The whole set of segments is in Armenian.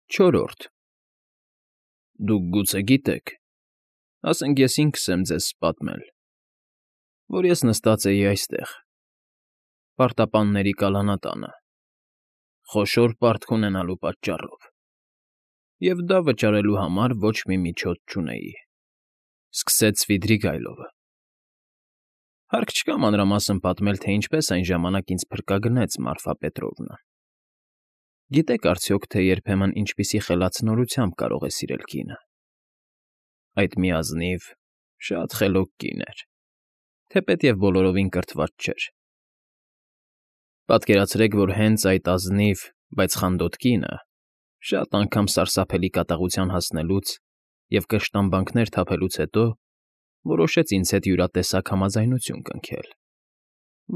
Չորրորդ Դուք գուցե գիտեք, ասենք ես ինքս եմ ձեզ պատմել, որ ես նստած էի այստեղ, պարտապանների կալանատանը, խոշոր պարտք ունենալու պատճառով, և դա վճարելու համար ոչ մի միջոց չունեի, սկսեց Սվիդրիգայլովը. Հարկ չկա մանրամասն պատմել, թե ինչպես այն ժամանակ ինձ փրկագնեց Մարֆա Պետրովնան. Գիտեք արդյոք, թե երբեմն ինչպիսի խելացնորությամբ կարող է սիրել կինը. այդ մի ազնիվ, շատ խելոք կին էր, թեպետև բոլորովին կրթված չէր. Պատկերացրեք, որ հենց այդ ազնիվ, բայց խանդոտ կինը, շատ անգամ սարսափելի կատաղության հասնելուց և կշտամբանքներ թափելուց հետո որոշեց ինձ հետ յուրատեսակ համաձայնություն կնքել,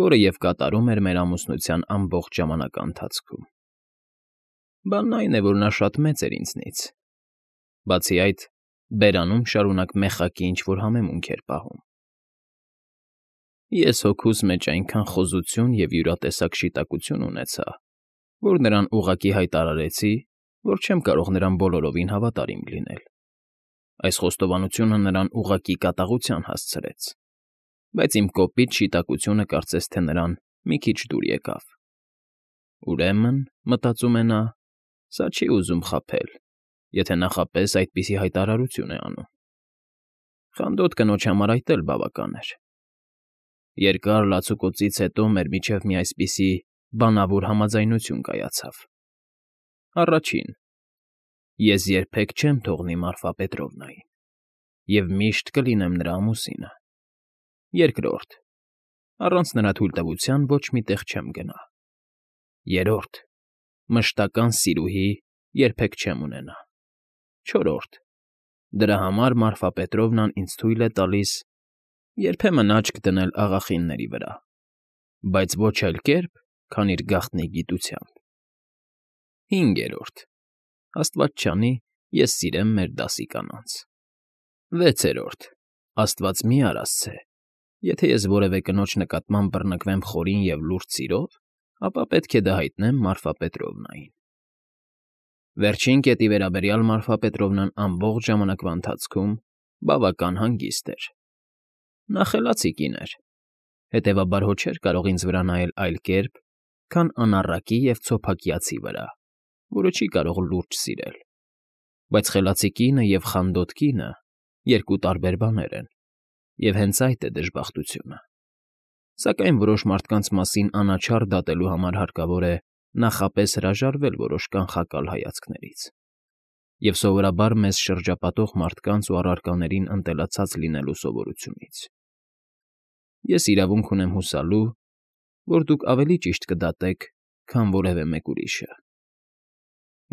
որը և կատարում էր մեր ամուսնության ամբողջ ժամանակի ընթացքում. Բանն այն է, որ նա շատ մեծ էր ինձնից, բացի այդ, բերանում շարունակ մեխակի ինչ֊որ համեմունք էր պահում. Ես հոգուս մեջ այնքան խոզություն և յուրատեսակ շիտակություն ունեցա, որ նրան ուղղակի հայտարարեցի, որ չեմ կարող նրան բոլորովին հավատարիմ լինել. Այս խոստովանությունը նրան ուղղակի կատաղության հասցրեց, բայց իմ կոպիտ շիտակությունը կարծես թե նրան մի քիչ դուր եկավ. Ուրեմն, մտածում է նա, սա չի ուզում խաբել, եթե նախապես այդպիսի հայտարարություն է անում. խանդոտ կնոջ համար այդ էլ բավական էր. Երկար լացուկոծից հետո մեր միջև մի այսպիսի բանավոր համաձայնություն կայացավ. Առաջին. Ես երբեք չեմ թողնի Մարֆա Պետրովնային և միշտ կլինեմ նրա ամուսինը. Երկրորդ. Առանց նրա թույլտվության ոչ մի տեղ չեմ գնա. Երրորդ. Մշտական սիրուհի երբեք չեմ ունենա. Չորրորդ. Դրա համար Մարֆա Պետրովնան ինձ թույլ է տալիս երբեմն աչք դնել աղախինների վրա, բայց ոչ այլ կերպ, քան իր գաղտնի գիտությամբ. Հինգերորդ. Աստված չանի, ես սիրեմ մեր դասի կանանց. Վեցերորդ. Աստված մի արասցե, եթե ես որևէ կնոջ նկատմամբ բռնկվեմ խորին և լուրջ սիրով, ապա պետք է դա հայտնեմ Մարֆա Պետրովնային։ Վերջին կետի վերաբերյալ Մարֆա Պետրովնան ամբողջ ժամանակվա ընթացքում բավական հանգիստ էր. նա խելացի կին էր, հետևաբար հո չէր կարող ինձ վրա նայել այլ կերպ, քան անառակի և ցոփակյացի վրա, որը չի կարող լուրջ սիրել, բայց խելացի կինը և խանդոտ կինը երկու տարբեր բաներ են, և հենց այդ է դժբախտությունը, սակայն որոշ մարդկանց մասին անաչառ դատելու համար հարկավոր է նախապես հրաժարվել որոշ կանխակալ հայացքներից, և սովորաբար մեզ շրջապատող մարդկանց ու առարկաներին ընտելացած լինելու սովորությունից։ Ես իրավունք ունեմ հուսալու, որ դուք ավելի ճիշտ կդատեք, քան որևէ մեկ ուրիշը։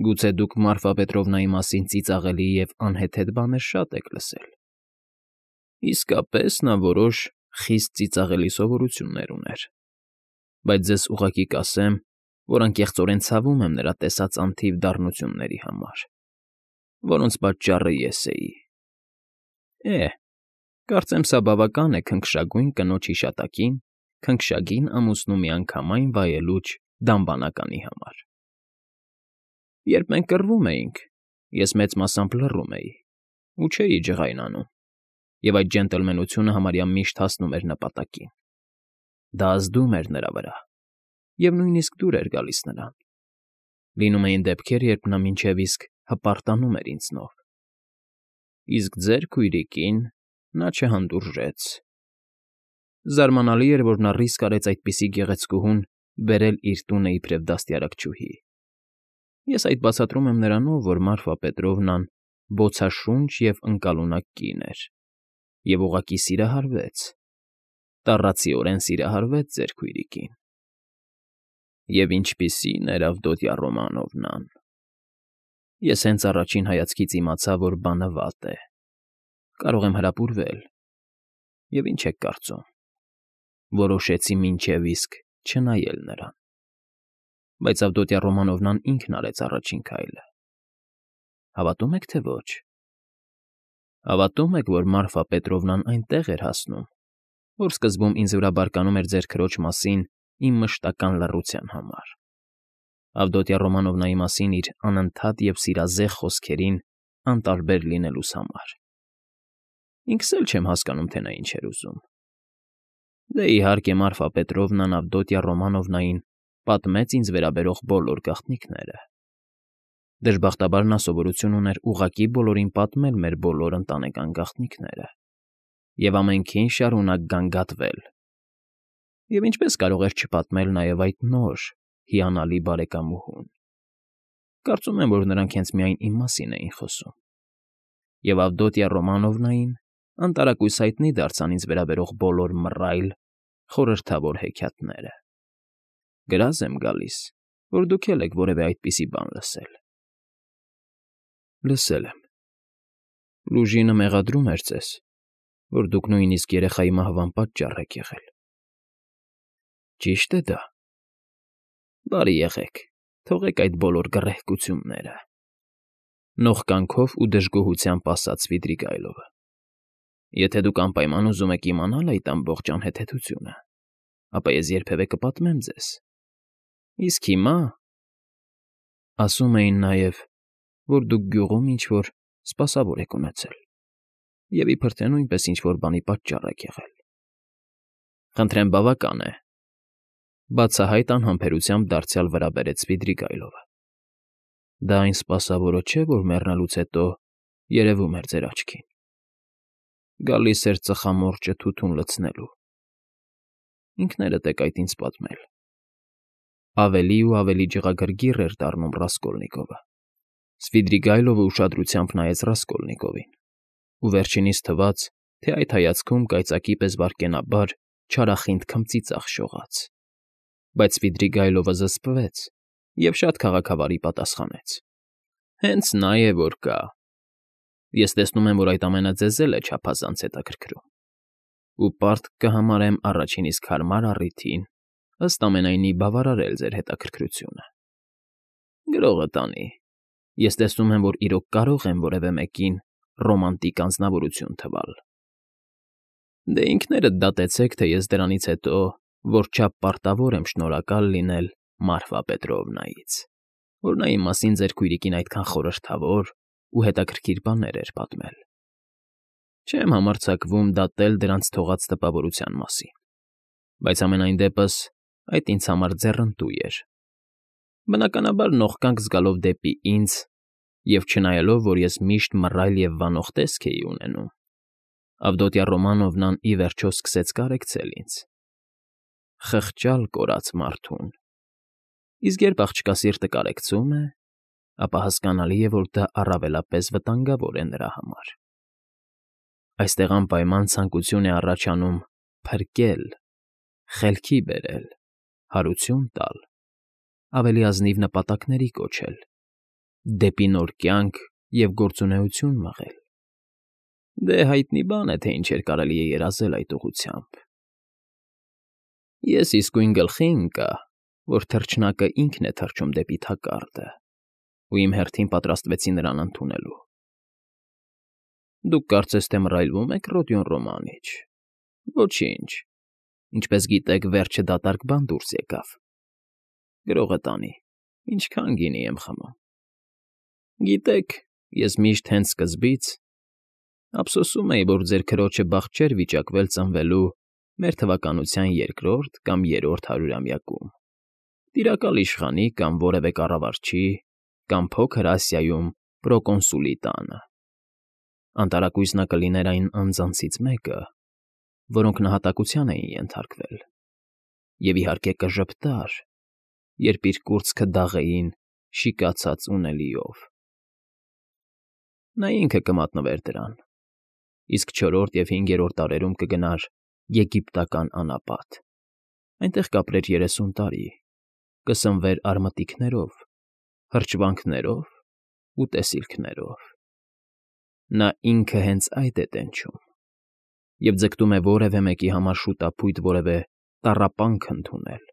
Գուցե դուք Մարֆա Պետրովնայի մասին ծիծաղելի և անհեթեթ բաներ շատ եք լսել։ Իսկապես նա որոշ խիստ ծիծաղելի սովորություններ ուներ, բայց ձեզ ուղղակի կասեմ, որ անկեղծորեն ցավում եմ նրա տեսած անթիվ դառնությունների համար, որոնց պատճառը ես էի։ Կարծեմ սա բավական է քնքշագույն կնոջ հիշատակին քնքշագին ամուսնու միանգամայն վայելուչ դամբանականի համար։ Երբ մենք կռվում էինք, ես մեծ մասամբ լռում էի ու չէի ջղայնանում, և այդ ջենտլմենությունը համարյա միշտ հասնում էր նպատակին։ Դա ազդում էր նրա վրա, և նույնիսկ դուր էր գալիս նրան։ Լինում էին դեպքեր, երբ նա մինչև իսկ հպարտանում էր ինձնով։ Իսկ ձեր քույրիկին նա չհանդուրժեց։ Զարմանալի էր, որ նա ռիսկ արեց այդպիսի գեղեցկուհուն բերել իր տունը իբրև դաստիարակչուհի։ Ես այդ բացատրում եմ նրանով, որ Մարֆա Պետրովնան բոցաշունչ և ընկալունակ կին էր և ուղղակի սիրահարվեց, տառացիորեն սիրահարվեց ձեր քույրիկին։ Եվ ինչպիսի՜ն էր Ավդոտյա Ռոմանովնան։ Ես հենց առաջին հայացքից իմացա, որ բանը վատ է, կարող եմ հրապուրվել, և ինչ եք կարծում, որոշեցի մինչև իսկ չնայել նրան։ Բայց Ավդոտյա Ռոմանովնան ինքն արեց առաջին քայլը։ Հավատո՞ւմ եք, թե ոչ։ Հավատո՞ւմ եք, որ Մարֆա Պետրովնան այնտեղ էր հասնում, որ սկզբում ինձ վրա բարկանում էր ձեր քրոջ մասին իմ մշտական լռության համար։ Ավդոտյա Ռոմանովնայի մասին իր անընդհատ և սիրազեղ խոսքերին անտարբեր լինելուս համար։ Ինքս էլ չեմ հասկանում, թե նա ինչ էր ուզում։ Դե իհարկե Մարֆա Պետրովնան Ավդոտյա Ռոմանովնային պատմեց ինձ վերաբերող բոլոր գաղտնիքները։ Դժբախտաբար նա սովորություն ուներ ուղղակի բոլորին պատմել մեր բոլոր ընտանեկան գաղտնիքները և ամենքին շարունակ գանգատվել։ Եվ ինչպես կարող էր չպատմել նաև այդ նոր, հիանալի բարեկամուհուն։ Կարծում եմ, որ նրանք հենց միայն իմ մասին էին խոսում։ Եվ Ավդոտյա Ռոմանովնային անտարակույս հայտնի դարձան ինձ վերաբերող բոլոր մռայլ, խորհրդավոր հեքիաթները։ Գրազ եմ գալիս, որ դուք էլ եք որևէ այդպիսի բան լսել։ Լսել եմ։ Լուժինը մեղադրում էր ձեզ, որ դուք նույնիսկ երեխայի մահվան պատճառ եք եղել։ Ճի՞շտ է դա։ Բարի եղեք, թողեք այդ բոլոր գռեհկությունները, նողկանքով ու դժգոհությամբ ասաց Սվիդրիգայլովը։ Եթե դուք անպայման ուզում եք իմանալ այդ ամբողջ անհեթեթությունը, ապա ես երբևէ կպատմեմ ձեզ։ Իսկ հիմա… Ասում էին նաև, որ դուք գյուղում ինչ֊որ սպասավոր եք ունեցել և իբրև թե նույնպես ինչ֊որ բանի պատճառ եք եղել։ Խնդրեմ, բավական է, բացահայտ անհամբերությամբ դարձյալ վրա բերեց Սվիդրիգայլովը։ Դա այն սպասավորը չէ, որ մեռնելուց հետո երևում էր ձեր աչքին։ Գալիս էր ծխամորճը թութուն լցնելու։ Ինքներդ եք այդ ինձ պատմել։ Ավելի ու ավելի ջղագրգիռ էր դառնում Ռասկոլնիկովը։ Սվիդրիգայլովը ուշադրությամբ նայեց Ռասկոլնիկովին, ու վերջինիս թվաց, թե այդ հայացքում կայծակի պես վայրկենաբար չարախինդ քմծիծաղ շողաց։ Բայց Սվիդրիգայլովը զսպվեց և շատ քաղաքավարի պատասխանեց. Հենց նա է, որ կա։ Ես տեսնում եմ, որ այդ ամենը ձեզ էլ է չափազանց հետաքրքրում։ Ու պարտք կհամարեմ առաջին իսկ հարմար առիթին ըստ ամենայնի բավարարել ձեր հետաքրքրությունը։ Գրողը տանի։ Ես տեսնում եմ, որ իրոք կարող եմ որևէ մեկին ռոմանտիկ անձնավորություն թվալ։ Դե ինքներդ դատեցեք, թե ես դրանից հետո որչափ պարտավոր եմ շնորհակալ լինել Մարֆա Պետրովնայից, որ նա իմ մասին ձեր քույրիկին այդքան խորհրդավոր ու հետաքրքիր բաներ էր պատմել։ Չեմ համարձակվում դատել դրանց թողած տպավորության մասին, բայց համենայն դեպս այդ ինձ համար ձեռնտու էր։ Բնականաբար նողկանք զգալով դեպի ինձ և չնայելով, որ ես միշտ մռայլ և վանող տեսք էի ունենում, Ավդոտյա Ռոմանովնան ի վերջո սկսեց կարեկցել ինձ։ Խղճալ կորած մարդուն։ Իսկ երբ աղջկա սիրտը կարեկցում է, ապա հասկանալի է, որ դա առավելապես վտանգավոր է նրա համար։ Այստեղ անպայման ցանկություն է առաջանում փրկել, խելքի բերել, հարություն տալ, ավելի ազնիվ նպատակների կոչել, դեպի նոր կյանք և գործունեություն մղել։ Դե հայտնի բան է, թե ինչեր կարելի է երազել այդ ուղղությամբ։ Ես իսկույն գլխի ընկա, որ թռչնակը ինքն է թռչում դեպի թակարդը, ու իմ հերթին պատրաստվեցի նրան ընդունելու։ Դուք կարծես թե մռայլվում եք, Ռոդիոն Ռոմանիչ։ Ոչինչ, ինչպես գիտեք, վերջը դատարկ բան դուրս եկավ։ Գրողը տանի, ինչքան գինի եմ խմում։ Գիտեք, ես միշտ հենց սկզբից ափսոսում էի, որ ձեր քրոջը բախտ չէր վիճակվել ծնվելու մեր թվականության երկրորդ կամ երրորդ հարյուրամյակում, տիրակալ իշխանի կամ որևէ կառավարչի կամ Փոքր Ասիայում պրոկոնսուլի տանը։ Անտարակույս նա կլիներ այն անձանցից մեկը, որոնք նահատակության էին ենթարկվել, և իհարկե կժպտար, երբ իր կուրծքը դաղեին շիկացած ունելիով։ Նա ինքը կմատնվեր դրան, իսկ չորրորդ և հինգերորդ դարերում կգնար եգիպտական անապատ, այնտեղ կապրեր 30 տարի, կսնվեր արմատիկներով, հրճվանքներով ու տեսիլքներով։ Նա ինքը հենց այդ է տենչում և ձգտում է որևէ մեկի համար շուտափույթ որևէ տառապանք ընդունել,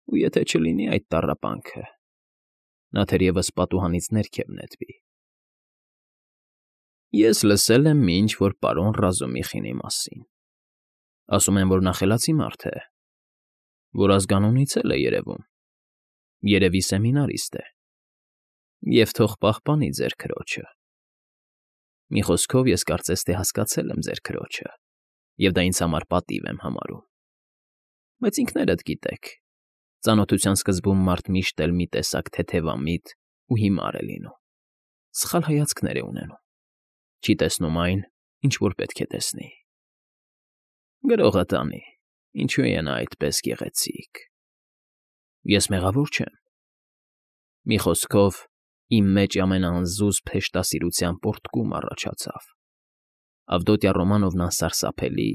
ու եթե չլինի այդ տառապանքը, նա թերևս պատուհանից ներքև նետվի։ Ես լսել եմ մի ինչ֊որ պարոն Ռազումիխինի մասին։ Ասում են, որ նա խելացի մարդ է, որ ազգանունից էլ է երևում։ Երևի սեմինարիստ է։ Եվ թող պահպանի ձեր քրոջը։ Մի խոսքով, ես կարծես թե հասկացել եմ ձեր քրոջը, և դա ինձ համար պատիվ եմ համարում։ Բայց ինքներդ գիտեք, ծանոթության սկզբում մարդ միշտ էլ մի տեսակ թեթևամիտ ու հիմար է լինում, սխալ հայացքներ է ունենում, չի տեսնում այն, ինչ որ պետք է տեսնի։ Գրողը տանի, ինչու է նա այդպես գեղեցիկ։ Ես մեղավոր չեմ։ Մի խոսքով, իմ մեջ ամենաանզուզ փեշտասիրության պոռթկում առաջացավ։ Ավդոտյա Ռոմանովն անսարսափելի,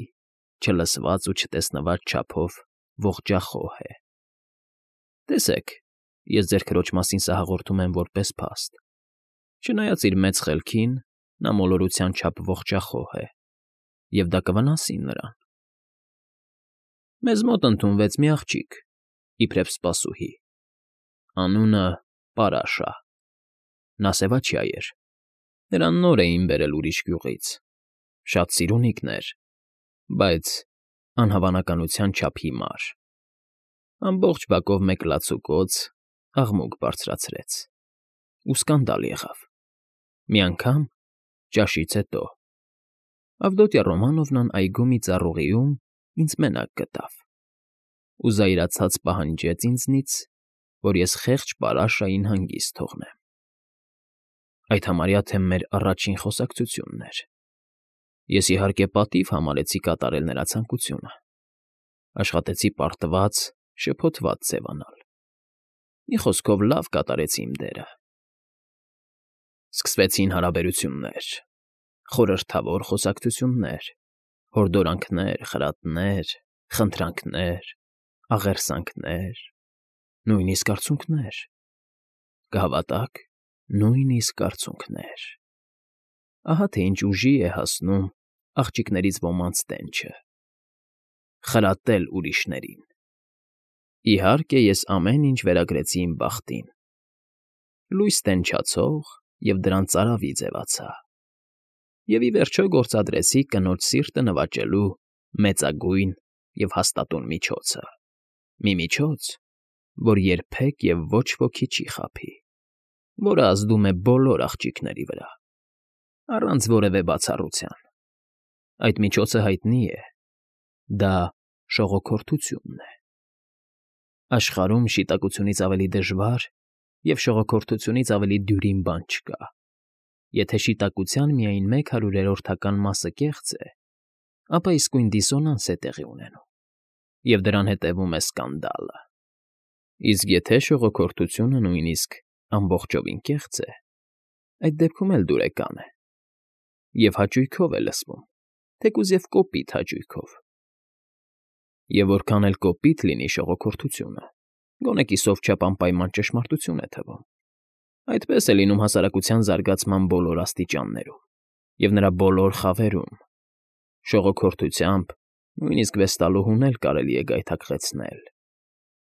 չլսված ու չտեսնված չափով ողջախոհ է։ Տեսեք, ես ձեր քրոջ մասին սա հաղորդում եմ որպես փաստ։ Չնայած իր մեծ խելքին, նա մոլորության չափ ողջախոհ է, և դա կվնասի նրան։ Մեզ մոտ ընդունվեց մի աղջիկ, իբրև սպասուհի։ Անունը Պարաշա։ Նա սևաչյա էր։ Նրան նոր էին բերել ուրիշ գյուղից։ Շատ սիրունիկն էր, բայց անհավանականության չափ հիմար։ Ամբողջ բակով մեկ լացուկոծ աղմուկ բարձրացրեց։ Ու սկանդալ եղավ։ Մի անգամ, ճաշից հետո, Ավդոտյա Ռոմանովնան այգու մի ծառուղիում ինձ մենակ գտավ ու զայրացած պահանջեց ինձնից, որ ես խեղճ Պարաշային հանգիստ թողնեմ։ Այդ համարյա թե մեր առաջին խոսակցությունն էր։ Ես, իհարկե, պատիվ համարեցի կատարել նրա ցանկությունը։ Աշխատեցի պարտված, շփոթված ձևանալ։ Մի խոսքով լավ կատարեցի իմ դերը։ Սկսվեցին հարաբերություններ, խորհրդավոր խոսակցություններ, հորդորանքներ, խրատներ, խնդրանքներ, աղերսանքներ, նույնիսկ արցունքներ։ Կհավատաք, նույնիսկ արցունքներ։ Ահա թե ինչ ուժի է հասնում աղջիկներից ոմանց տենչը։ Խրատել ուրիշներին։ Իհարկե, ես ամեն ինչ վերագրեցի իմ բախտին։ Լույս տենչացող և դրան ծարավի ձևացա։ Եվ ի վերջո գործադրեցի կնոջ սիրտը նվաճելու մեծագույն և հաստատուն միջոցը։ Մի միջոց, որ երբեք և ոչ ոքի չի խաբի, որը ազդում է բոլոր աղջիկների վրա, առանց որևէ բացառության։ Այդ միջոցը հայտնի է. դա շողոքորթությունն է։ Աշխարհում շիտակությունից ավելի դժվար և շողոքորթությունից ավելի դյուրին բան չկա։ Եթե շիտակության միայն 1/100-ական մասը կեղծ է, ապա իսկույն դիսոնանս է տեղի ունենում, և դրան հետևում է սկանդալը։ Իսկ եթե շողոքորթությունը նույնիսկ ամբողջովին կեղծ է, այդ դեպքում էլ դուրեկան է, և հաճույքով է լսվում, թեկուզ և կոպիտ հաճույքով։ Եվ որքան էլ կոպիտ լինի շողոքորթությունը, գոնե կիսով չափ անպայման ճշմարտություն է թվում։ Այդպես է լինում հասարակության զարգացման բոլոր աստիճաններում և նրա բոլոր խավերում։ Շողոքորթությամբ նույնիսկ վեստալուհուն էլ կարելի է գայթակղեցնել,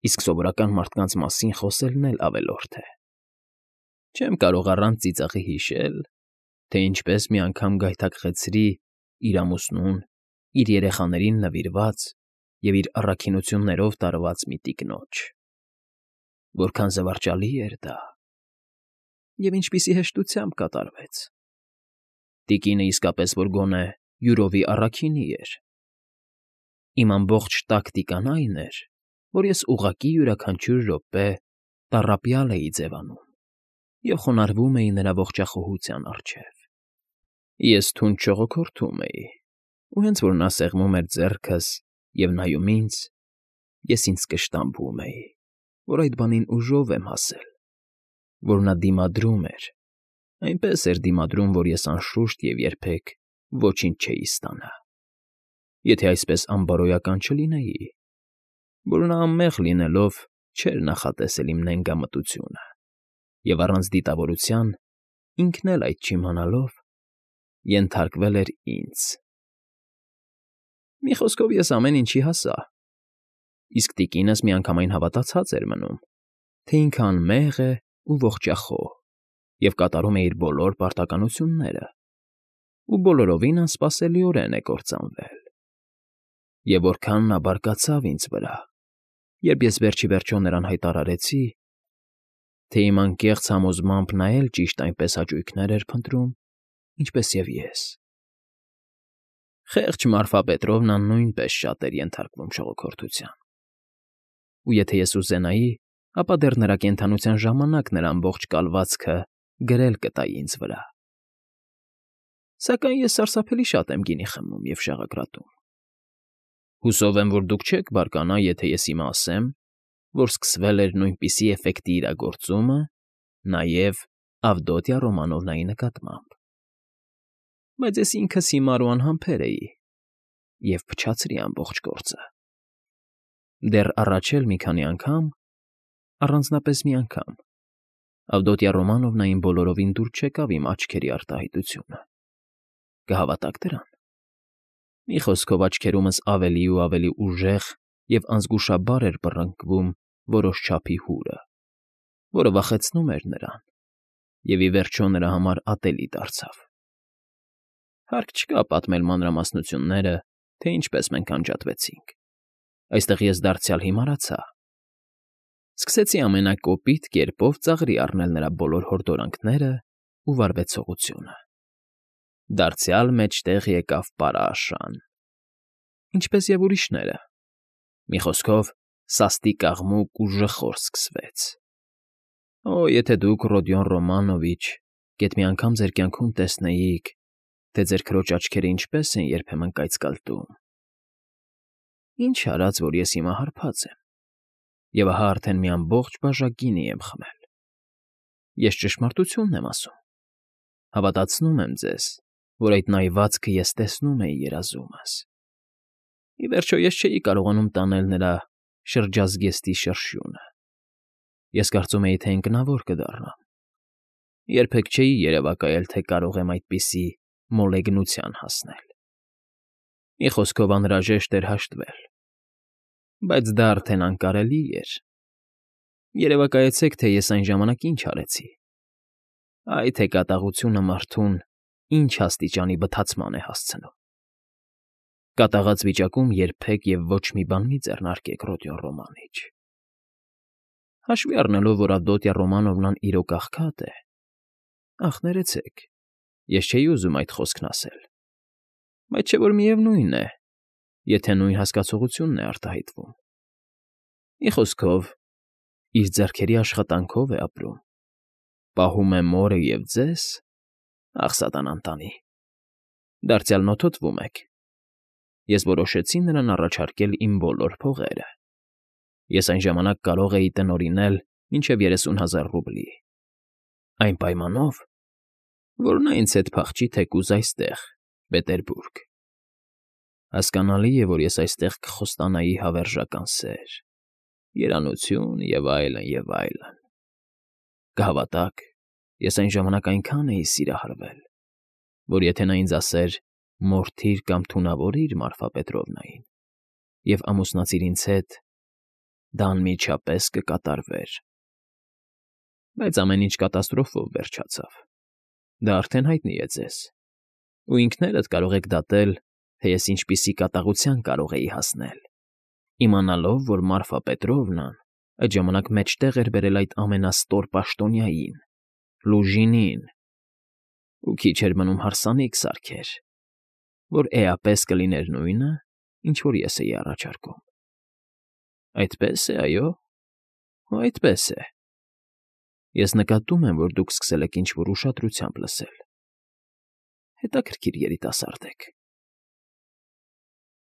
իսկ սովորական մարդկանց մասին խոսելն էլ ավելորդ է։ Չեմ կարող առանց ծիծաղի հիշել, թե ինչպես մի անգամ գայթակղեցրի իր ամուսնուն, իր երեխաներին նվիրված և իր առաքինություններով տարված մի տիկնոջ։ Որքան զվարճալի էր դա, և ինչպիսի հեշտությամբ կատարվեց։ Տիկինը իսկապես որ գոնե յուրովի առաքինի էր։ Իմ ամբողջ տակտիկան այն էր, որ ես ուղղակի յուրաքանչյուր րոպե տառապյալ էի ձևանում և խոնարհվում էի նրա ողջախոհության առջև։ Ես թունդ շողոքորթում էի, ու հենց որ նա սեղմում էր ձեռքս և նայում ինձ, ես ինձ կշտամբում էի, որ այդ բանին ուժով եմ հասել, որ նա դիմադրում էր, այնպես էր դիմադրում, որ ես անշուշտ և երբեք ոչինչ չէի ստանա։ Եթե այսպես անբարոյական չլինեի, որ նա անմեղ լինելով չէր նախատեսել իմ նենգամտությունը, և առանց դիտավորության, ինքն էլ այդ չիմանալով, ենթարկվել էր ինձ։ Մի խոսքով, ես ամեն ինչի հասա, իսկ տիկինս միանգամայն հավատացած էր մնում, թե ինքը անմեղ է ու ողջախոհ և կատարում է իր բոլոր պարտականությունները, ու բոլորովին անսպասելիորեն է կործանվել։ Եվ որքան նա բարկացավ ինձ վրա, երբ ես վերջ ի վերջո նրան հայտարարեցի, թե իմ անկեղծ համոզմամբ նա էլ ճիշտ այնպես հաճույքներ էր փնտրում, ինչպես և ես։ Խեղճ Մարֆա Պետրովնան նույնպես շատ էր ենթարկվում շողոքորթության։ Ու եթե ես ուզենայի, ապա դեռ նրա կենդանության ժամանակ նրա ամբողջ կալվածքը գրել կտայի ինձ վրա։ Սակայն ես սարսափելի շատ եմ գինի խմում և շաղակրատում։ Հուսով եմ, որ դուք չեք բարկանա, եթե ես հիմա ասեմ, որ սկսվել էր նույնպիսի էֆեկտի իրագործումը նաև Ավդոտյա Ռոմանովնայի նկատմամբ։ Բայց ես ինքս հիմար ու անհամբեր էի և փչացրի ամբողջ գործը։ Դեռ առաջ էլ մի քանի անգամ, առանձնապես մի անգամ, Ավդոտյա Ռոմանովնային բոլորովին դուր չեկավ իմ աչքերի արտահայտությունը։ Կհավատաք դրան։ Մի խոսքով աչքերումս ավելի ու ավելի ուժեղ և անզգուշաբար էր բռնկվում որոշ չափի հուրը, որը վախեցնում էր նրան և ի վերջո նրա համար ատելի դարձավ։ Հարկ չկա պատմել մանրամասնությունները, թե ինչպես մենք անջատվեցինք։ Այստեղ ես դարձյալ հիմարացա։ Սկսեցի ամենակոպիտ կերպով ծաղրի առնել նրա բոլոր հորդորանքները ու վարվեցողությունը։ Դարձյալ մեջտեղ եկավ պարաշան, ինչպես և ուրիշները։ Մի խոսքով, սաստիկ աղմուկ ու ժխոր սկսվեց։ Օ, եթե դուք, Ռոդիոն Ռոմանովիչ, գեթ մի անգամ ձեր կյանքում տեսնեիք, թե ձեր քրոջ աչքերը ինչպես են երբեմն կայծկալտում։ Ինչ արած, որ ես հիմա հարբած եմ, և ահա արդեն մի ամբողջ բաժակ գինի եմ խմել։ Ես ճշմարտությունն եմ ասում։ Հավատացնում եմ ձեզ, որ այդ նայվածքը ես տեսնում էի երազումս։ Ի վերջո ես չէի կարողանում տանել նրա շրջազգեստի շրշյունը։ Ես կարծում էի, թե ինքնավոր կդառնամ։ Երբեք չէի երևակայել, թե կարող եմ այդպիսի մոլեգնության հասնել։ Մի խոսքով անհրաժեշտ էր հաշտվել։ Բայց դա արդեն անկարելի էր։ Երևակայեցեք, թե ես այն ժամանակ ինչ արեցի։ Այ թե կատաղությունը մարդուն ինչ աստիճանի բթացման է հասցնում։ Կատաղած վիճակում երբեք և ոչ մի բան մի ձեռնարկեք, Ռոդիոն Ռոմանիչ։ Հաշվի առնելով, որ Ավդոտյա Ռոմանովնան իրոք աղքատ է, ախ, ներեցեք, ես չէի ուզում այդ խոսքն ասել, բայց չէ որ միևնույն է, եթե նույն հասկացությունն է արտահայտվում։ Մի խոսքով, իր ձեռքերի աշխատանքով է ապրում, պահում է մորը և ձեզ, ախ, սատանան տանի, դարձյալ նոթոտվում եք։ Ես որոշեցի նրան առաջարկել իմ բոլոր փողերը։ Ես այն ժամանակ կարող էի տնօրինել մինչև 30,000 ռուբլի։ Այն պայմանով, որ նա ինձ հետ փախչի թեկուզ այստեղ, Պետերբուրգ։ Հասկանալի է, որ ես այստեղ կխոստանայի հավերժական սեր, երանություն և այլն, և այլն։ Կհավատաք, ես այն ժամանակ այնքան էի սիրահարվել, որ եթե նա ինձ ասեր «մորթիր կամ թունավորիր Մարֆա Պետրովնային» և ամուսնացիր ինձ հետ, դա անմիջապես կկատարվեր։ Բայց ամեն ինչ կատաստրոֆով վերջացավ։ Դա արդեն հայտնի է ձեզ։ Ու ինքներդ կարող եք դատել, թե ես ինչպիսի կատաղության կարող էի հասնել, իմանալով, որ Մարֆա Պետրովնան այդ ժամանակ մեջտեղ էր բերել այդ ամենաստոր պաշտոնյային՝ Լուժինին, ու քիչ էր մնում հարսանիք սարքեր, որ էապես կլիներ նույնը, ինչ որ ես էի առաջարկում։ Այդպես է, այո, այդպես է։ Ես նկատում եմ, որ դուք սկսել եք ինչ֊որ ուշադրությամբ լսել։ Հետաքրքիր երիտասարդ եք։